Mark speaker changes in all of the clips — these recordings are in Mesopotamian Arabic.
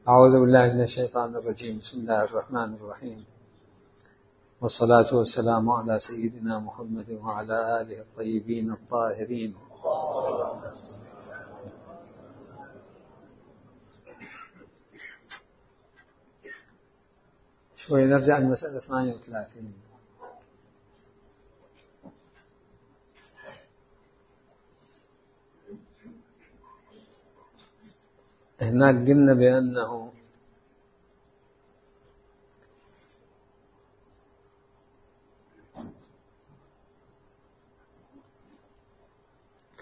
Speaker 1: أعوذ بالله من الشيطان الرجيم. بسم الله الرحمن الرحيم، والصلاة والسلام على سيدنا محمد وعلى آله الطيبين الطاهرين. شوي نرجع لمسألة 38. هناك قلنا بأنه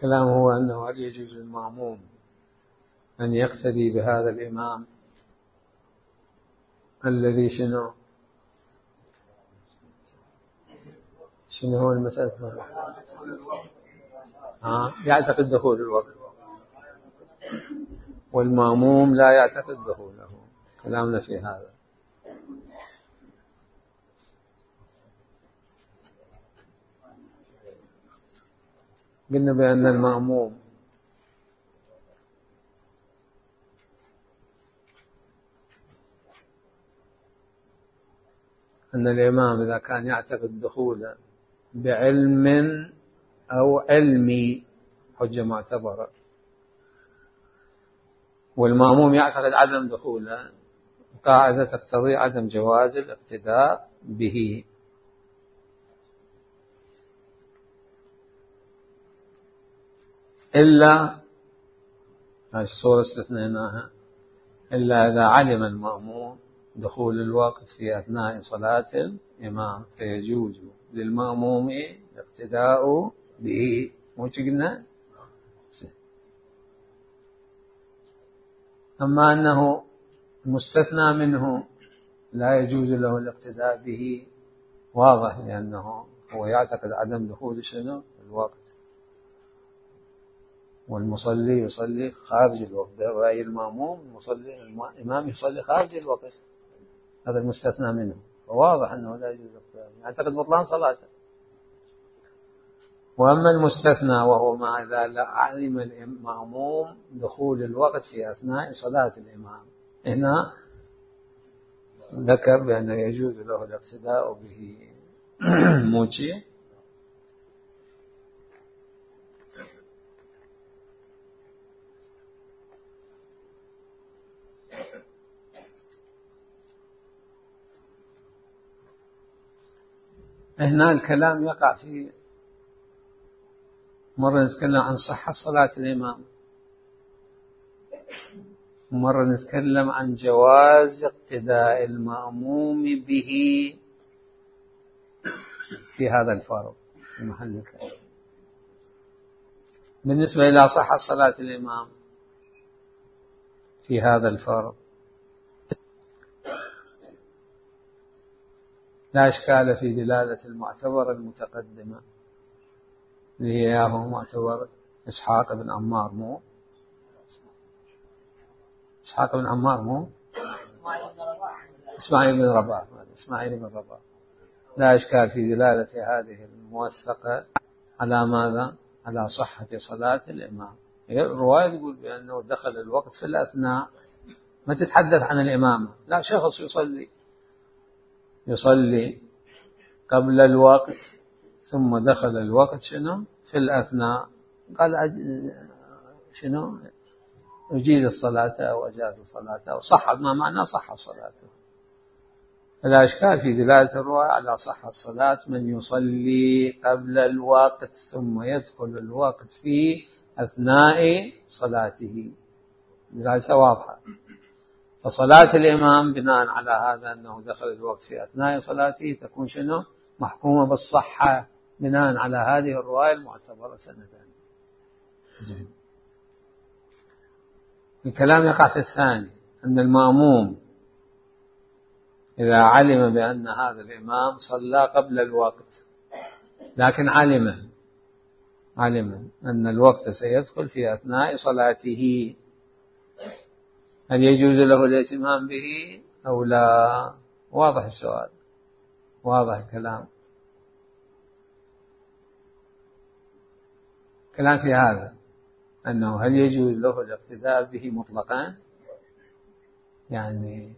Speaker 1: كلام هو أنه هل يجوز للمأموم أن يقتدي بهذا الإمام الذي شنو هو المسألة يعتقد دخول الوقت، والمأموم لا يعتقد دخوله. كلامنا في هذا. قلنا بأن المأموم أن الإمام إذا كان يعتقد دخوله بعلم أو علمي حجة معتبرة، والمأموم يعتقد عدم دخوله، قاعدة تقتضي عدم جواز الاقتداء به. إلا الصورة استثنيناها، إلا إذا علم المأموم دخول الوقت في أثناء صلاة الإمام فيجوز للمأموم الاقتداء به. مو قلنا؟ أما أنه مستثنى منه لا يجوز له الاقتداء به، واضح، لأنه هو يعتقد عدم دخول الوقت، والمصلي يصلي خارج الوقت. برأي المأموم الإمام يصلي خارج الوقت، هذا المستثنى منه، فواضح أنه لا يجوز الاقتداء، يعتقد بطلان صلاته. وأما المستثنى وهو ما إذا علم المأموم دخول الوقت في أثناء صلاة الإمام، هنا ذكر بأنه يجوز له الاقتداء به. موجي هنا الكلام يقع في مرة نتكلم عن صحة صلاة الإمام، ومرة نتكلم عن جواز اقتداء المأموم به في هذا الفرض في محل الكلام. بالنسبة إلى صحة صلاة الإمام في هذا الفرض لا إشكال في دلالة المعتبرة المتقدمة اللي هي معتبرة إسحاق بن عمار. مو إسحاق بن عمار، مو إسماعيل بن رباح. لا إشكال في دلالة هذه الموثقة على ماذا؟ على صحة صلاة الإمام. الرواية تقول بأنه دخل الوقت في الأثناء، ما تتحدث عن الإمامة، لا، شخص يصلي قبل الوقت ثم دخل الوقت في الأثناء، قال أجيز الصلاة أو أجاز الصلاة أو صح، ما معنى صح صلاته. فلا إشكال في دلالة الرواية على صحة صلاة من يصلي قبل الوقت ثم يدخل الوقت في أثناء صلاته، دلالة واضحة. فصلاة الإمام بناء على هذا أنه دخل الوقت في أثناء صلاته تكون محكومة بالصحة بناء على هذه الرواية المعتبرة سندان. الكلام يقع في الثاني، أن المأموم إذا علم بأن هذا الإمام صلى قبل الوقت، لكن علم أن الوقت سيدخل في أثناء صلاته، هل يجوز له الائتمام به أو لا؟ واضح السؤال، واضح الكلام. كلام في هذا أنه هل يجوز له الاقتداء به مطلقا يعني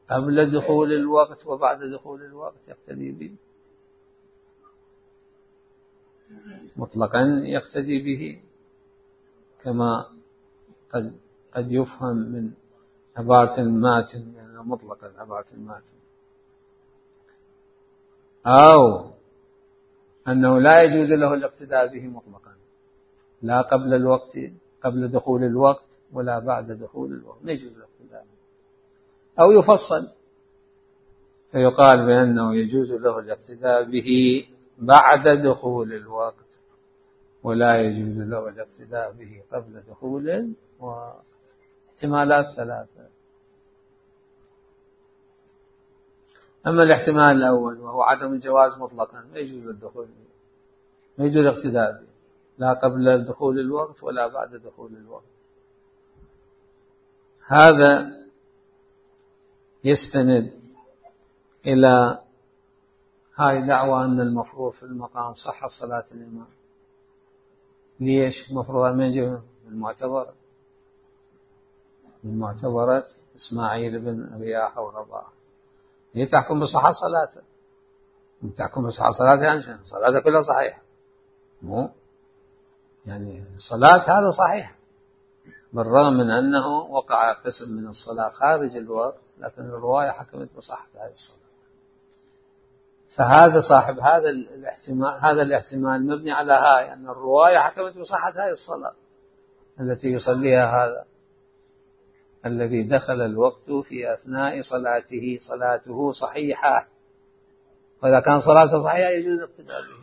Speaker 1: قبل دخول الوقت وبعد دخول الوقت يقتدي به، مطلقا يقتدي به، كما قد يفهم من عبارة الماتن، يعني مطلقا عبارة الماتن، أو أنه لا يجوز له الاقتداء به مطلقا، لا قبل الوقت قبل دخول الوقت ولا بعد دخول الوقت لا يجوز الاقتداء به، أو يفصل فيقال بأنه يجوز له الاقتداء به بعد دخول الوقت ولا يجوز له الاقتداء به قبل دخول الوقت. احتمالات ثلاثة. أما الاحتمال الأول وهو عدم الجواز مطلقا ما يجوز الدخول به، ما يجوز الاقتداء به لا قبل دخول الوقت ولا بعد دخول الوقت. هذا يستند إلى هاي دعوة أن المفروض في المقام صحة صلاة الإمام. ليش مفروض من جهة المعتبرة، من معتبرة إسماعيل بن رياحة ورباح، هي تحكم بصحة صلاته، تحكم بصحة صلاته يعني صلاته كلها صحيحة، مو يعني صلاة هذا صحيح بالرغم من أنه وقع قسم من الصلاة خارج الوقت، لكن الرواية حكمت بصحة هذه الصلاة. فهذا صاحب هذا الاحتمال مبني على هاي أن الرواية حكمت بصحة هذه الصلاة التي يصليها هذا الذي دخل الوقت في أثناء صلاته صحيحة، وإذا كان صلاته صحيحة يجوز الاقتداء به.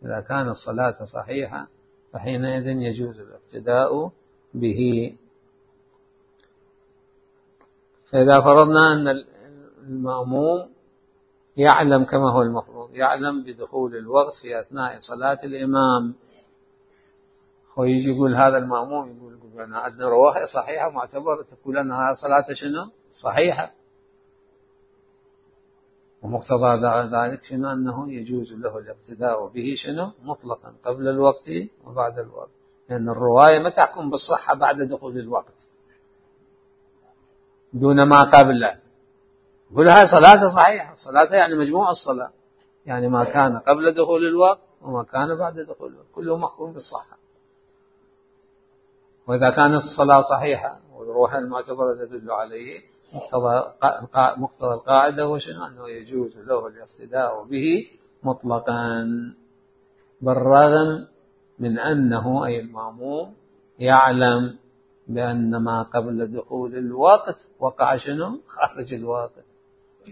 Speaker 1: إذا كانت الصلاة صحيحة فحينئذ يجوز الاقتداء به. فإذا فرضنا أن المأموم يعلم كما هو المفروض، يعلم بدخول الوقت في أثناء صلاة الإمام، ويجي يقول هذا المأموم يقول أنا عندنا رواية صحيحة معتبرة تقول أن هذه صلاة شنو صحيحة، ومقتضى ذلك شنو أنه يجوز له الاقتداء به شنو مطلقا قبل الوقت وبعد الوقت، لأن الرواية ما تحكم بالصحة بعد دخول الوقت دون ما قبله. يقول هاي صلاة صحيحة، صلاة يعني مجموع الصلاة، يعني ما كان قبل دخول الوقت وما كان بعد دخول الوقت كله محكوم بالصحة. وإذا كانت الصلاة صحيحة والروح المعتبرة تدل عليه، مقتضى القاعدة هو شنو أنه يجوز له الاقتداء به مطلقا بالرغم من أنه أي المأموم يعلم بأن ما قبل دخول الوقت وقع شنو خارج الوقت،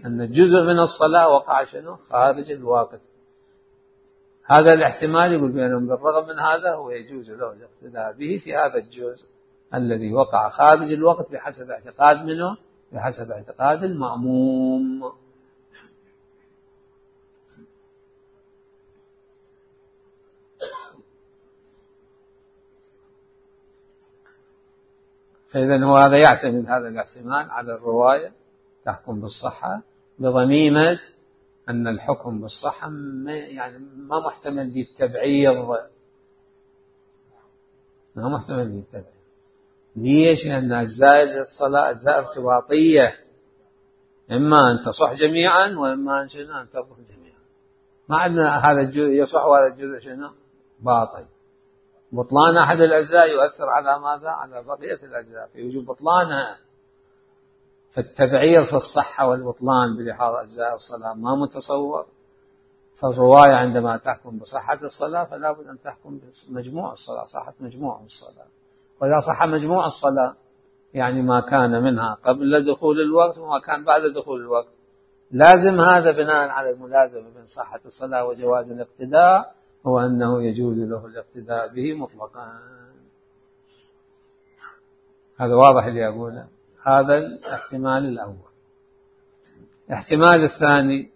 Speaker 1: أن جزء من الصلاة وقع شنو خارج الوقت. هذا الاحتمال يقول بأنه بالرغم من هذا هو يجوز له الاقتداء به في هذا الجزء الذي وقع خارج الوقت بحسب اعتقاد منه، بحسب اعتقاد المأموم. فإذا هو هذا يعتمد هذا الاحتمال على الرواية تحكم بالصحة بضميمة أن الحكم بالصحة يعني ما محتمل بالتبعيض، ما محتمل بالتبعيض. ليش؟ لأن أجزاء الصلاة أجزاء ارتباطية، إما أن تصح جميعا وإما أن تبطل جميعا. ما عندنا هذا الجزء يصح وهذا الجزء شنو باطل. بطلان أحد الأجزاء يؤثر على ماذا؟ على بقية الأجزاء في وجوب بطلانها. فالتبعير في الصحة والبطلان بلحاظ أجزاء الصلاة ما متصور. فالرواية عندما تحكم بصحة الصلاة فلا بد أن تحكم بمجموع الصلاة، صحة مجموع الصلاة. وإذا صح مجموع الصلاة يعني ما كان منها قبل دخول الوقت وما كان بعد دخول الوقت، لازم هذا بناء على الملازمة بين صحة الصلاة وجواز الاقتداء هو أنه يجوز له الاقتداء به مطلقا. هذا واضح اللي أقوله. هذا الاحتمال الأول. الاحتمال الثاني،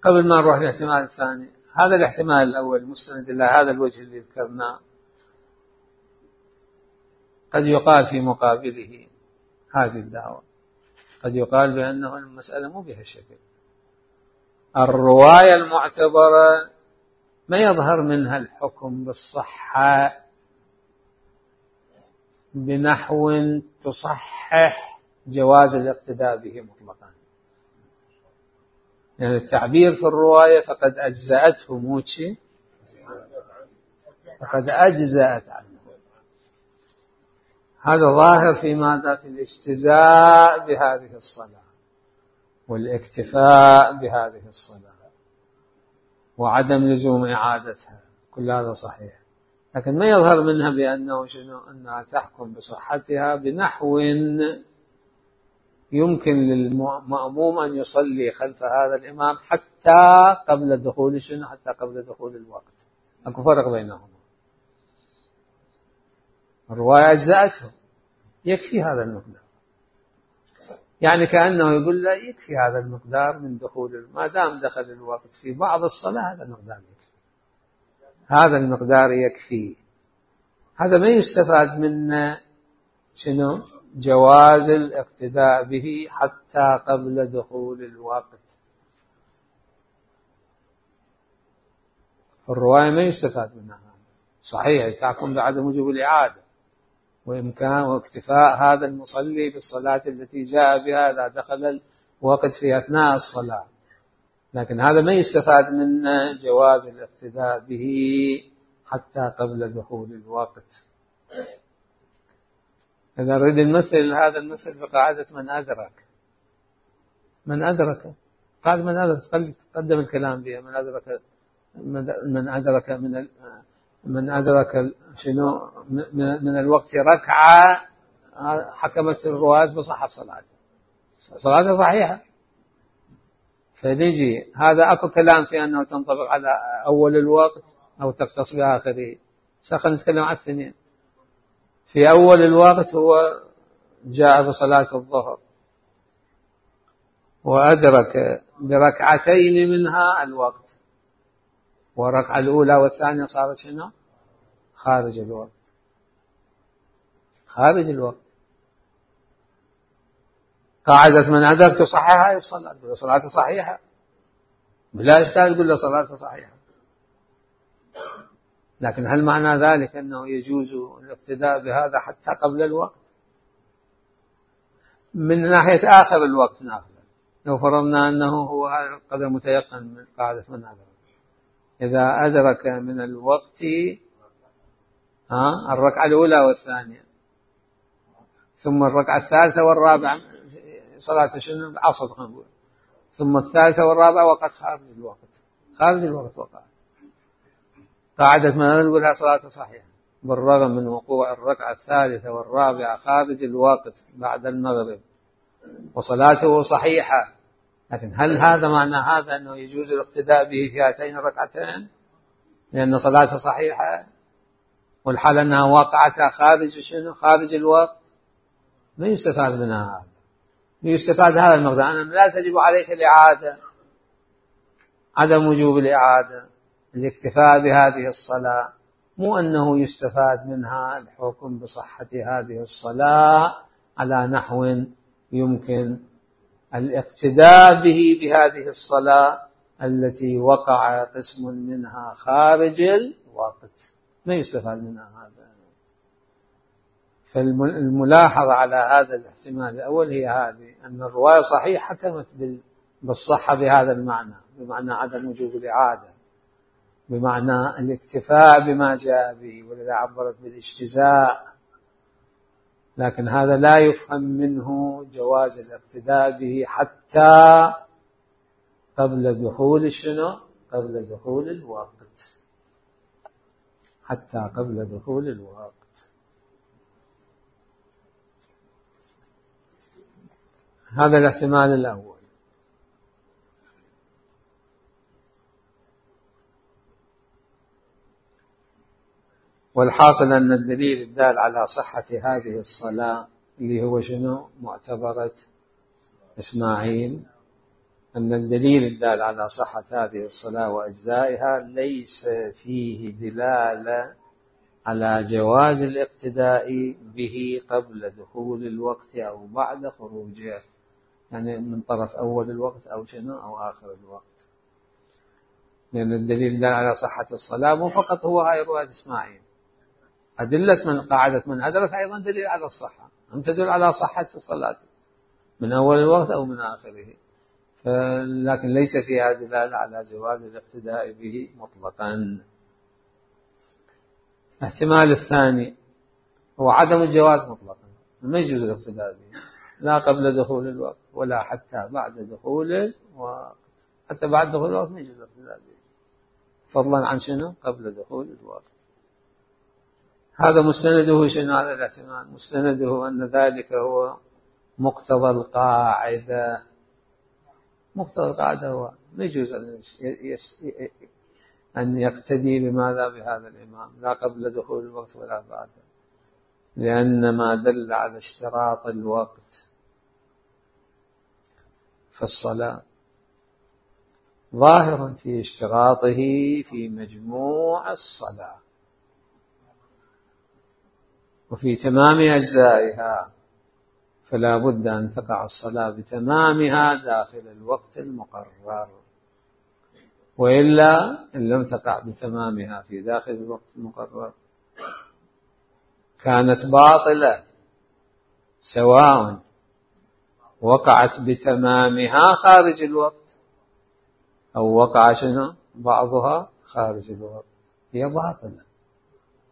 Speaker 1: قبل ما نروح للاحتمال الثاني، هذا الاحتمال الأول مستند إلى هذا الوجه اللي ذكرناه، قد يقال في مقابله هذه الدعوة، قد يقال بأنه المسألة مو بهالشكل. الرواية المعتبرة ما يظهر منها الحكم بالصحة بنحو تصحح جواز الاقتداء به مطلقا. يعني التعبير في الرواية فقد أجزأته موتشي، فقد أجزأت عنه، هذا ظاهر في ماذا؟ في الاجتزاء بهذه الصلاة والاكتفاء بهذه الصلاة وعدم لزوم إعادتها، كل هذا صحيح، لكن ما يظهر منها بأنه شنو؟ أنها تحكم بصحتها بنحو يمكن للمأموم أن يصلي خلف هذا الإمام حتى قبل دخول شنو؟ حتى قبل دخول الوقت. أكو فرق بينهما. الرواية أجزأته، يكفي هذا المقدار، يعني كأنه يقول لا يكفي هذا المقدار من دخول، ما دام دخل الوقت في بعض الصلاة هذا المقدار يكفي، هذا المقدار يكفي. هذا ما يستفاد من شنو؟ جواز الاقتداء به حتى قبل دخول الوقت. الرواية ما يستفاد منها، صحيح تحكم بعدم وجوب الإعادة وإمكان واكتفاء هذا المصلي بالصلاة التي جاء بها إذا دخل الوقت في أثناء الصلاة، لكن هذا ما يستفاد من جواز الاقتداء به حتى قبل دخول الوقت. إذا نريد نمثل هذا المثل بقاعدة من أدرك. من أدرك قال من أدرك، قدم الكلام بها. من أدرك شنو من الوقت ركعة، حكمت الرواة بصحة صلاته صحيحة. فنجي هذا أكو كلام في أنه تنطبق على أول الوقت أو تختص بآخره. خلينا نتكلم عن الاثنين. في أول الوقت هو جاء بصلاة الظهر وأدرك بركعتين منها الوقت، والركعة الأولى والثانية صارت شنو؟ خارج الوقت. خارج الوقت. قاعدة من أدرك تصحح هذه الصلاة، تقول له صلاته صحيحة بلا إشكال، تقول له صلاته صحيحة. لكن هل معنى ذلك أنه يجوز الاقتداء بهذا حتى قبل الوقت؟ من ناحية آخر الوقت نأخذ، لو فرضنا أنه هو هذا القدر متيقن من قاعدة من أدرك، إذا أدرك من الوقت الركعة الأولى والثانية ثم الركعة الثالثة والرابعة صلاة شنو؟ العصر نقول، ثم الثالثة والرابعة وقت خارج الوقت. خارج الوقت وقعت. قاعدة ما نقولها صلاة صحيحة بالرغم من وقوع الركعة الثالثة والرابعة خارج الوقت بعد المغرب وصلاته صحيحة. لكن هل هذا معنى هذا أنه يجوز الاقتداء به في هاتين الركعتين لأن صلاته صحيحة والحال أنها واقعتها خارج شنو؟ خارج الوقت؟ ما يستفاد منها هذا. يستفاد هذا المقدار أن لا تجب عليك الإعادة، عدم وجوب الإعادة، الاكتفاء بهذه الصلاة، مو أنه يستفاد منها الحكم بصحة هذه الصلاة على نحو يمكن الاقتداء به بهذه الصلاة التي وقع قسم منها خارج الوقت. ما يستفاد منها هذا. فالملاحظة على هذا الاحتمال الأول هي هذه، أن الرواية صحيح حكمت بالصحة بهذا المعنى، بمعنى عدم وجوب الإعادة، بمعنى الاكتفاء بما جاء به، ولذا عبرت بالاجتزاء، لكن هذا لا يفهم منه جواز الاقتداء به حتى قبل دخول شنو؟ قبل دخول الوقت. حتى قبل دخول الوقت. هذا الاحتمال الأول. والحاصل أن الدليل الدال على صحة هذه الصلاة اللي هو شنو؟ معتبرة إسماعيل، أن الدليل الدال على صحة هذه الصلاة وأجزائها ليس فيه دلالة على جواز الاقتداء به قبل دخول الوقت أو بعد خروجه، يعني من طرف أول الوقت أو شنو أو آخر الوقت، لأن الدليل الدال على صحة الصلاة مو فقط هو هاي رواية إسماعيل، أدلة من قاعدة من أدرك أيضا دليل على الصحة، هم تدل على صحة الصلاة من أول الوقت أو من آخره، لكن ليس فيها دلالة على جواز الاقتداء به مطلقا. الاحتمال الثاني هو عدم الجواز مطلقا، ما يجوز الاقتداء به لا قبل دخول الوقت ولا حتى بعد دخول الوقت، حتى بعد دخول الوقت ما يجوز الاقتداء به، فضلا عن شنو؟ قبل دخول الوقت. هذا مستنده شنو هذا الاحتمال؟ مستنده أن ذلك هو مقتضى القاعدة. مقتضى القاعدة هو ما يجوز أن يقتدي بماذا؟ بهذا الإمام لا قبل دخول الوقت ولا بعده، لأن ما دل على اشتراط الوقت في الصلاة ظاهر في اشتراطه في مجموع الصلاة وفي تمام أجزائها، فلا بد أن تقع الصلاة بتمامها داخل الوقت المقرر، وإلا إن لم تقع بتمامها في داخل الوقت المقرر كانت باطلة، سواء وقعت بتمامها خارج الوقت أو وقع شنو بعضها خارج الوقت، هي باطلة.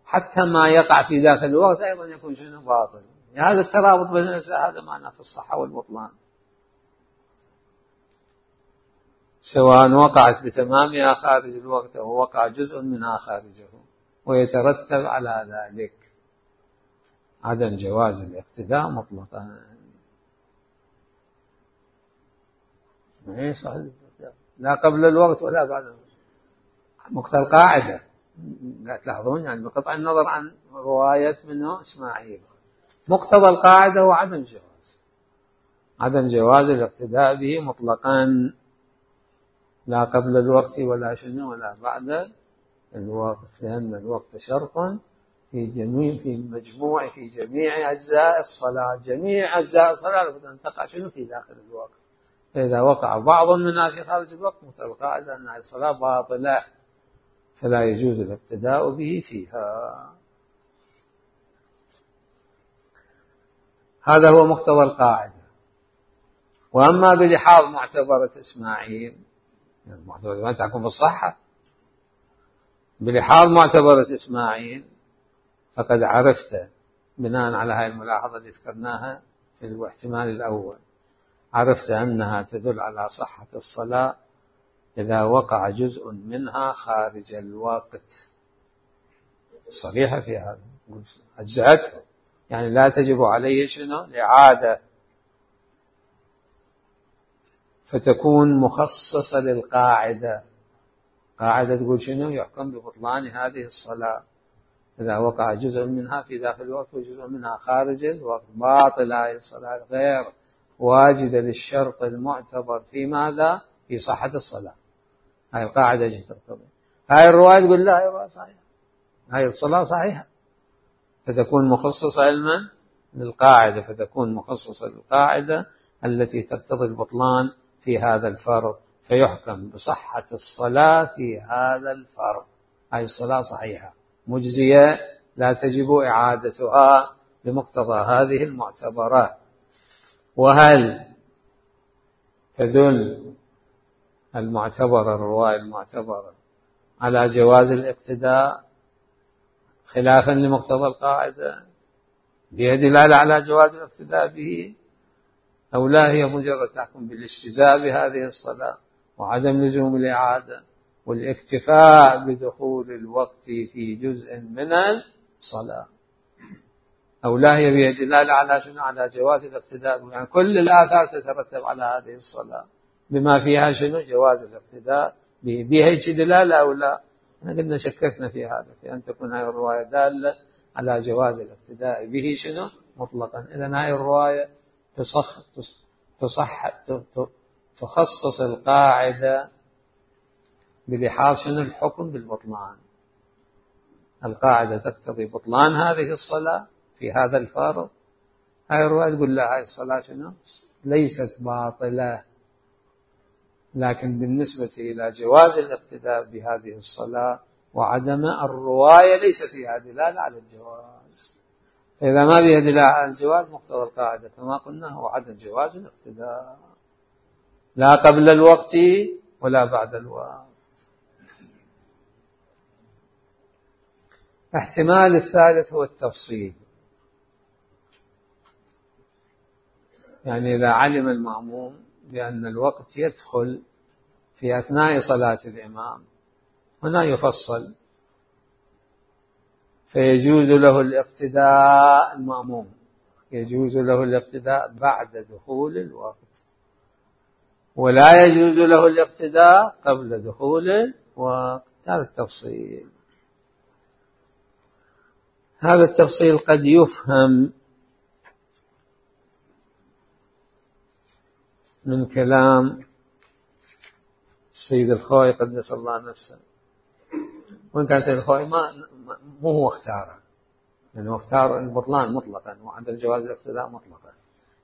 Speaker 1: حتى ما يقع في داخل الوقت أيضا يكون شنو باطل. هذا الترابط بين الأجزاء هذا معناه في الصحة والبطلان، سواء وقعت بتمامها خارج الوقت أو وقع جزء منها خارجه، ويترتب على ذلك عدم جواز الاقتداء مطلقا. ما هي صحيح لا قبل الوقت ولا بعد الوقت، مقتضى القاعدة. لا تلاحظون يعني بقطع النظر عن رواية منه إسماعيل، مقتضى القاعدة هو عدم جواز الاقتداء به مطلقا، لا قبل الوقت ولا شنو ولا بعد الوقت، لأن الوقت شرط في جميع أجزاء الصلاة. جميع أجزاء الصلاة لابد أن تقع شنو في داخل الوقت، فإذا وقع بعض منها في خارج الوقت مقتضى القاعدة أن الصلاة باطلة، فلا يجوز الاقتداء به فيها. هذا هو مقتضى القاعدة. وأما بلحاظ معتبرة إسماعيل، المعتبرة ما تحكم بالصحة، بلحاظ معتبرة إسماعيل فقد عرفت بناء على هذه الملاحظة اللي ذكرناها في الاحتمال الأول، عرفت أنها تدل على صحة الصلاة إذا وقع جزء منها خارج الوقت، صريحة في هذا، أجزأته يعني لا تجب عليه شنو الإعادة، فتكون مخصصة للقاعدة. قاعدة تقول شنو؟ يحكم ببطلان هذه الصلاة إذا وقع جزء منها في داخل الوقت وجزء منها خارج الوقت، باطل هذه الصلاة غير واجدة للشرط المعتبر في ماذا؟ في صحة الصلاة. هاي القاعدة تقتضي. هاي الرواية تقول لا هي صحيحة، هاي الصلاة صحيحة، فتكون مخصصة علما للقاعدة، فتكون مخصصة للقاعدة التي تقتضي البطلان في هذا الفرض، فيحكم بصحة الصلاة في هذا الفرض. هاي الصلاة صحيحة مجزية لا تجب إعادتها بمقتضى هذه المعتبرات. وهل تدل المعتبرة الرواية المعتبرة على جواز الاقتداء خلافا لمقتضى القاعدة بها دلالة على جواز الاقتداء به، أو لا هي مجرد تحكم بالاجتزاء بهذه الصلاة وعدم لزوم الإعادة والاكتفاء بدخول الوقت في جزء من الصلاة، أو لا هي بها دلالة على شنو؟ على جواز الاقتداء، يعني كل الآثار تترتب على هذه الصلاة بما فيها شنو؟ جواز الاقتداء به. بها دلالة أو لا؟ احنا قلنا شككنا في هذا، في أن تكون هذه الرواية دالة على جواز الاقتداء به شنو؟ مطلقا. إذن هذه الرواية تخصص القاعدة بلحاظ شنو؟ الحكم بالبطلان. القاعدة تقتضي بطلان هذه الصلاة في هذا الفارض، هاي الرواية تقول لا، هاي الصلاة شنو؟ ليست باطلة، لكن بالنسبة إلى جواز الاقتداء بهذه الصلاة وعدم الرواية ليس فيها دلالة على الجواز. فإذا ما فيها دلالة على الجواز مقتضى القاعدة كما قلنا هو عدم جواز الاقتداء، لا قبل الوقت ولا بعد الوقت. الاحتمال الثالث هو التفصيل، يعني إذا علم المأموم بأن الوقت يدخل في أثناء صلاة الإمام، هنا يفصل، فيجوز له الاقتداء، المأموم يجوز له الاقتداء بعد دخول الوقت، ولا يجوز له الاقتداء قبل دخول الوقت. هذا التفصيل، هذا التفصيل قد يفهم من كلام السيد الخوئي قدس الله نفسه، وإن كان السيد الخوئي مو هو اختاره، يعني هو اختار البطلان مطلقا وعدم جواز الاقتداء مطلقا،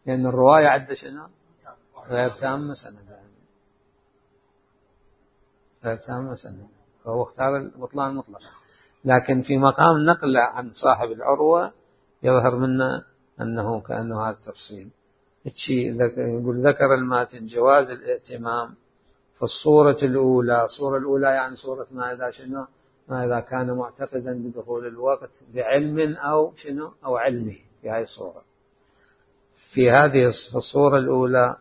Speaker 1: لأن الرواية عدة شنو غير تامة سندا، غير تامة سندا، فهو اختار البطلان مطلقا. لكن في مقام نقل عن صاحب العروة يظهر منا أنه كأنه هذا التفصيل. يقول ذكر الماتن جواز الائتمام في الصورة الأولى. الصورة الأولى يعني صورة ما إذا شنو، ما إذا كان معتقدا بدخول الوقت بعلم أو شنو أو علمه، في هذه الصورة. في هذه الصورة الأولى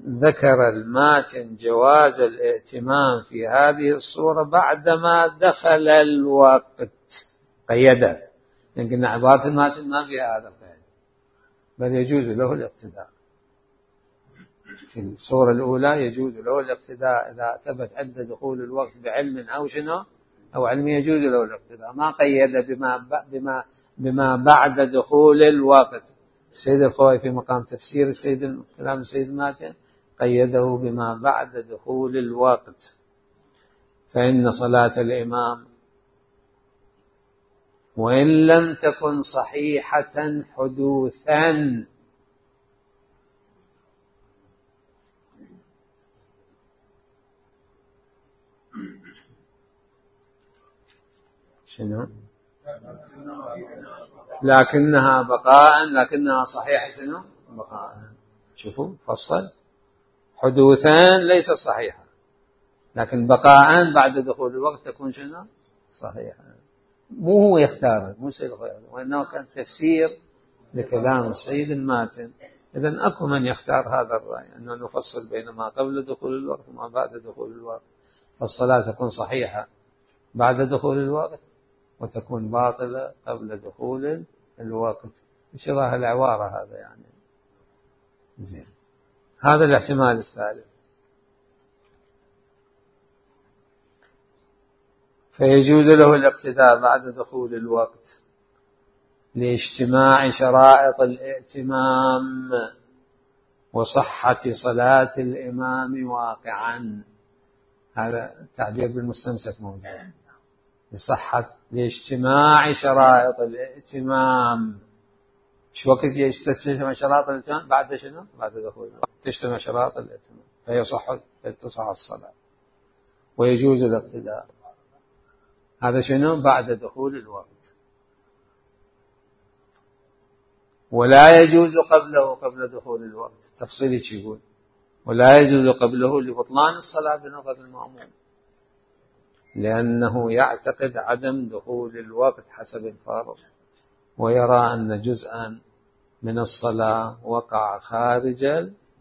Speaker 1: ذكر الماتن جواز الائتمام في هذه الصورة بعدما دخل الوقت، قيده، لكن عبارة الماتن ما فيها هذا القيد، بل يجوز له الاقتداء. في الصورة الأولى يجوز له الاقتداء إذا ثبت عند دخول الوقت بعلم أو شنو أو علم، يجوز له الاقتداء، ما قيد بما بعد دخول الوقت. السيد الخوئي في مقام تفسير كلام السيد الماتن قيده بما بعد دخول الوقت، فإن صلاة الإمام وإن لم تكن صحيحة حدوثا شنو لكنها بقاء، لكنها صحيحة شنو بقاء. شوفوا فصل، حدوثا ليس صحيحة، لكن بقاء بعد دخول الوقت تكون شنو صحيحة. مو هو يختار، مو سيد الخوئي، وإنه كان تفسير لكلام السيد الماتن. إذن أكو من يختار هذا الرأي أنه نفصل بين ما قبل دخول الوقت وما بعد دخول الوقت، فالصلاة تكون صحيحة بعد دخول الوقت وتكون باطلة قبل دخول الوقت، بشرح العبارة هذا يعني زين. هذا الاحتمال الثالث. فيجوز له الاقتداء بعد دخول الوقت لاجتماع شرائط الائتمام وصحة صلاة الإمام واقعا. هذا التعبير بالمستمسك موجود، لاجتماع شرائط الائتمام. شو وقت تجتمع شرائط الائتمام؟ بعد شنو؟ بعد دخول الوقت تجتمع شرائط الائتمام تصح الصلاة ويجوز الاقتداء. هذا شنو؟ بعد دخول الوقت. ولا يجوز قبله قبل دخول الوقت. التفصيل يقول ولا يجوز قبله لبطلان الصلاة بنظر المأموم، لأنه يعتقد عدم دخول الوقت حسب الفارض، ويرى أن جزءا من الصلاة وقع خارج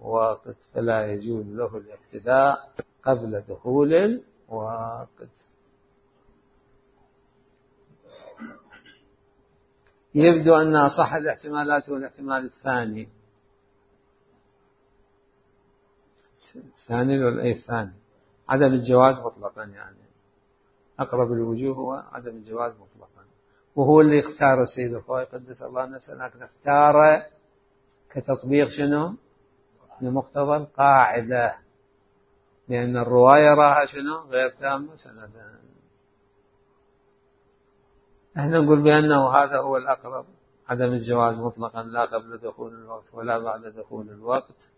Speaker 1: الوقت، فلا يجوز له الاقتداء قبل دخول الوقت. يبدو أن أصح الاحتمالات هو الاحتمال الثاني. الثاني ولا أي الثاني؟ عدم الجواز مطلقا، يعني أقرب الوجوه هو عدم الجواز مطلقا، وهو اللي اختار السيد الخوئي قدس الله نفسه، لكن اختار كتطبيق شنو لمقتضى القاعدة، لأن الرواية راها شنو غير تامة سندا. احنا نقول بأنه هذا هو الأقرب، عدم الجواز مطلقا لا قبل دخول الوقت ولا بعد دخول الوقت،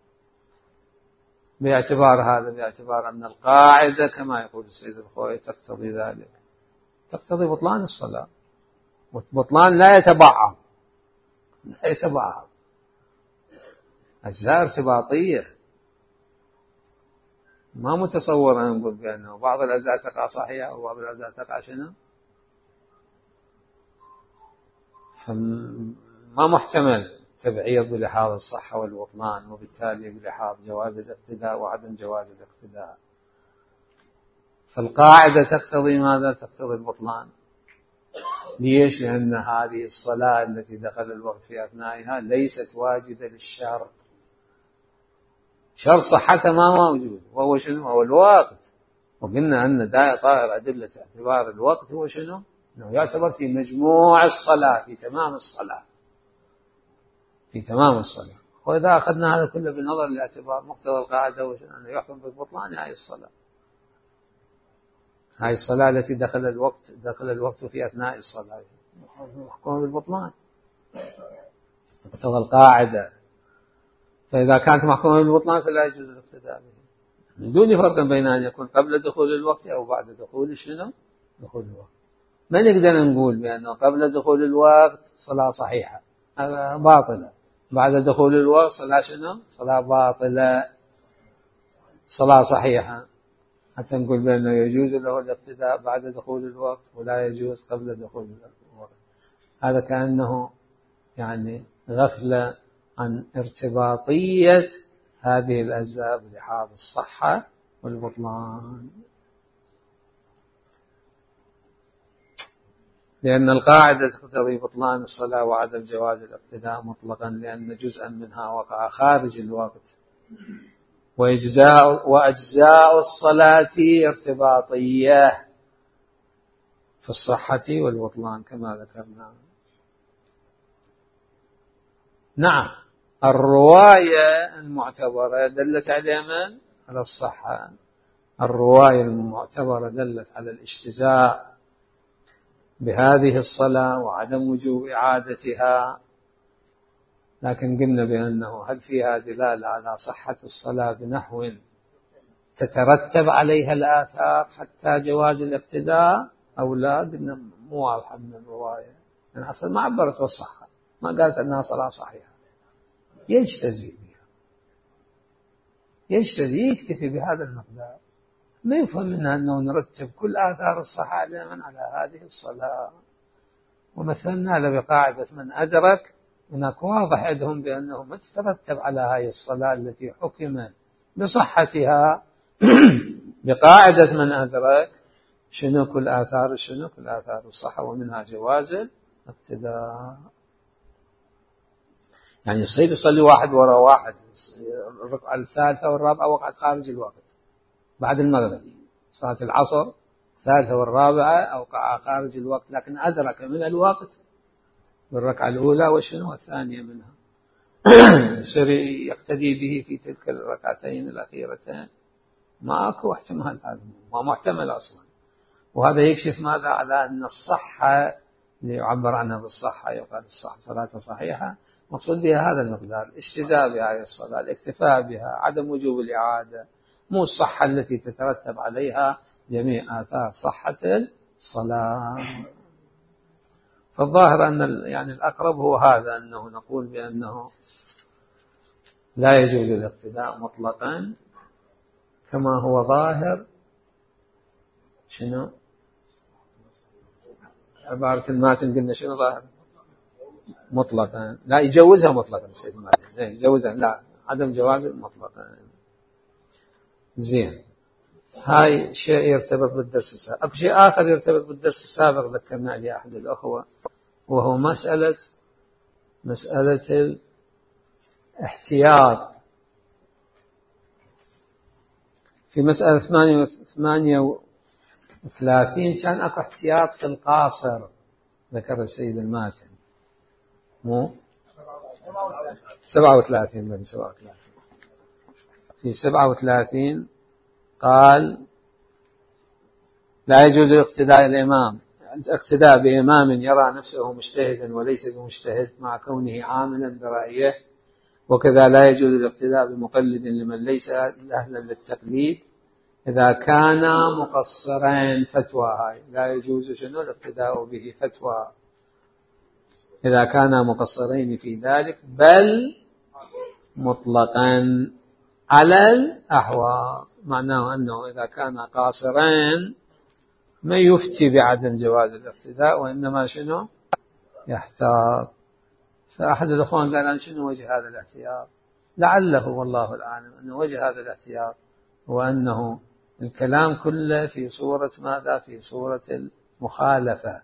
Speaker 1: باعتبار أن القاعدة كما يقول السيد الخوئي تقتضي ذلك. تقتضي بطلان الصلاة، والبطلان لا يتبعض، لا يتبعض، أجزاء ارتباطية، ما متصور أن نقول بأنه بعض الأجزاء تقع صحيحة وبعض الأجزاء تقع شنو؟ فما محتمل تبعيض بلحاظ الصحة والبطلان، وبالتالي بلحاظ جواز الاقتداء وعدم جواز الاقتداء. فالقاعدة تقتضي ماذا؟ تقتضي البطلان. ليش؟ لأن هذه الصلاة التي دخل الوقت في أثنائها ليست واجدة للشرط، شرط صحتها ما موجود، وهو شنو؟ هو الوقت. وقلنا أن طائر أدلة اعتبار الوقت هو شنو؟ أنه يعتبر في مجموع الصلاة، في تمام الصلاة، في تمام الصلاة. وإذا أخذنا هذا كله بنظر الاعتبار، مقتضى القاعدة هو أنه يحكم بالبطلان هذه الصلاة، هذه الصلاة التي دخل الوقت في أثناء الصلاة، يحكم بالبطلان مقتضى القاعدة. فإذا كانت محكومة بالبطلان فلا يجوز الاقتداء به، من دون فرق بين أن يكون قبل دخول الوقت أو بعد دخول شنو؟ دخول الوقت. ما نقدر نقول بأنه قبل دخول الوقت صلاة صحيحة باطلة، بعد دخول الوقت صلاة شنو؟ صلاة باطلة، صلاة صحيحة، حتى نقول بأنه يجوز له الاقتداء بعد دخول الوقت ولا يجوز قبل دخول الوقت. هذا كأنه يعني غفلة عن ارتباطية هذه الأجزاء بلحاظ الصحة والبطلان. لأن القاعدة تقتضي بطلان الصلاة وعدم جواز الاقتداء مطلقا، لأن جزءا منها وقع خارج الوقت، وأجزاء الصلاة ارتباطية في الصحة والبطلان كما ذكرنا. نعم، الرواية المعتبرة دلت على من؟ على الصحة. الرواية المعتبرة دلت على الاجتزاء بهذه الصلاة وعدم وجوب إعادتها، لكن قلنا بأنه هل فيها دلالة على صحة الصلاة بنحو تترتب عليها الآثار حتى جواز الاقتداء أو لا؟ قلنا مو واضحة من الرواية، لأن أصلا ما عبرت بالصحة، ما قالت أنها صلاة صحيحة. يجتزي بها، يكتفي بهذا المقدار، ما يفهم منها أنه نرتب كل آثار الصحة دائما على هذه الصلاة. ومثلنا له بقاعدة من أدرك، هناك واضح عندهم بأنه ما تترتب على هذه الصلاة التي حكم بصحتها بقاعدة من أدرك شنو كل آثار الصحة، ومنها جواز الاقتداء. يعني يصير يصلي واحد وراء واحد، الركعة الثالثة والرابعة وقعت خارج الوقت بعد المغرب، صلاة العصر الثالثة والرابعة أوقع خارج الوقت، لكن أدرك من الوقت بالركعة الأولى وشنو الثانية منها، يصير يقتدي به في تلك الركعتين الأخيرتين. ما أكو احتمال، هذا ما محتمل أصلا. وهذا يكشف ماذا؟ على أن الصحة اللي يعبر عنها بالصحة، يقال الصحة صلاة صحيحة، مقصود بها هذا المقدار، الاجتزاء بهذه الصلاة، الاكتفاء بها، عدم وجوب الإعادة، مو الصحة التي تترتب عليها جميع آثار صحة الصلاة. فالظاهر أن يعني الأقرب هو هذا، أنه نقول بأنه لا يجوز الاقتداء مطلقا، كما هو ظاهر شنو عبارة الماتن، قلنا شنو ظاهر مطلقا، لا يجوزها مطلقا، سيد الماتن لا يجوزها، لا، عدم جواز مطلقا. زين، هاي شيء يرتبط بالدرس السابق. أكو شيء آخر يرتبط بالدرس السابق ذكرنا لي أحد الأخوة، وهو مسألة الاحتياط. في مسألة 38 كان أكو احتياط في القاصر، ذكر السيد الماتن، مو 37 من 37. في 37 قال لا يجوز الاقتداء بإمام يرى نفسه مجتهدا وليس بمجتهد مع كونه عاملا برأيه، وكذا لا يجوز الاقتداء بمقلد لمن ليس أهلا للتقليد إذا كان مقصرين، فتوى هاي لا يجوز شنو الاقتداء به، فتوى إذا كان مقصرين في ذلك بل مطلقا على الأحوال، معناه أنه إذا كان قاصرين ما يفتي بعدم جواز الاقتداء، وإنما شنو يحتاط. فأحد الأخوان قال أن شنو وجه هذا الاحتياط؟ لعله والله العالم أن وجه هذا الاحتياط هو أنه الكلام كله في صورة ماذا؟ في صورة المخالفة،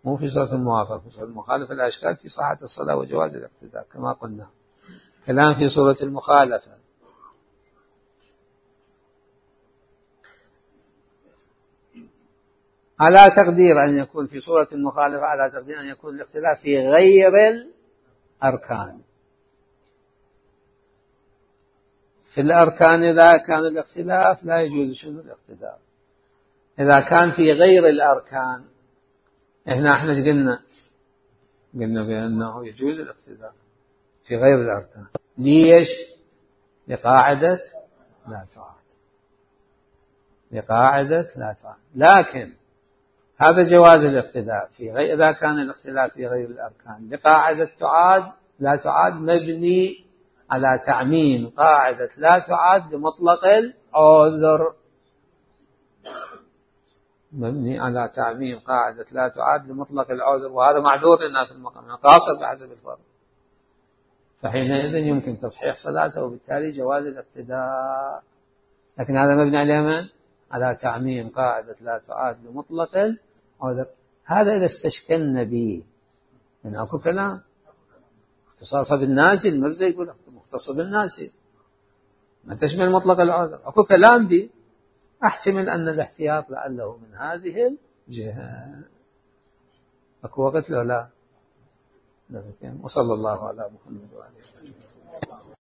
Speaker 1: مو في صورة الموافقة. في صورة المخالفة لا إشكال في صحة الصلاة وجواز الاقتداء كما قلنا، كلام في صورة المخالفة. على تقدير أن يكون في صورة المخالفة، على تقدير أن يكون الاختلاف في غير الأركان. في الأركان إذا كان الاختلاف لا يجوز شنو الاقتداء. إذا كان في غير الأركان احنا قلنا بأنه يجوز الاقتداء في غير الأركان. ليش؟ لقاعدة لا تعاد، لقاعدة لا تعاد. لكن هذا جواز الاقتداء في غير، إذا كان الاختلاف في غير الأركان لقاعدة تعاد لا تعاد، مبني على تعميم قاعدة لا تعاد لمطلق العذر، مبني على تعميم قاعدة لا تعاد لمطلق العذر، وهذا معذور لنا في المقام قاصر بحسب الفرض، فحينئذ يمكن تصحيح صلاته وبالتالي جواز الاقتداء. لكن هذا مبني على من؟ على تعميم قاعدة لا تعاد لمطلق العذر. هذا إذا استشكلنا به من أكو كلام اختصاص بالناس، المرزا يقول مختص بالناس ما تشمل مطلق العذر، أكو كلام به أحتمل أن الاحتياط لعله من هذه الجهة. أكو وقت لو لا؟ وصلى الله على محمد وآله وسلم.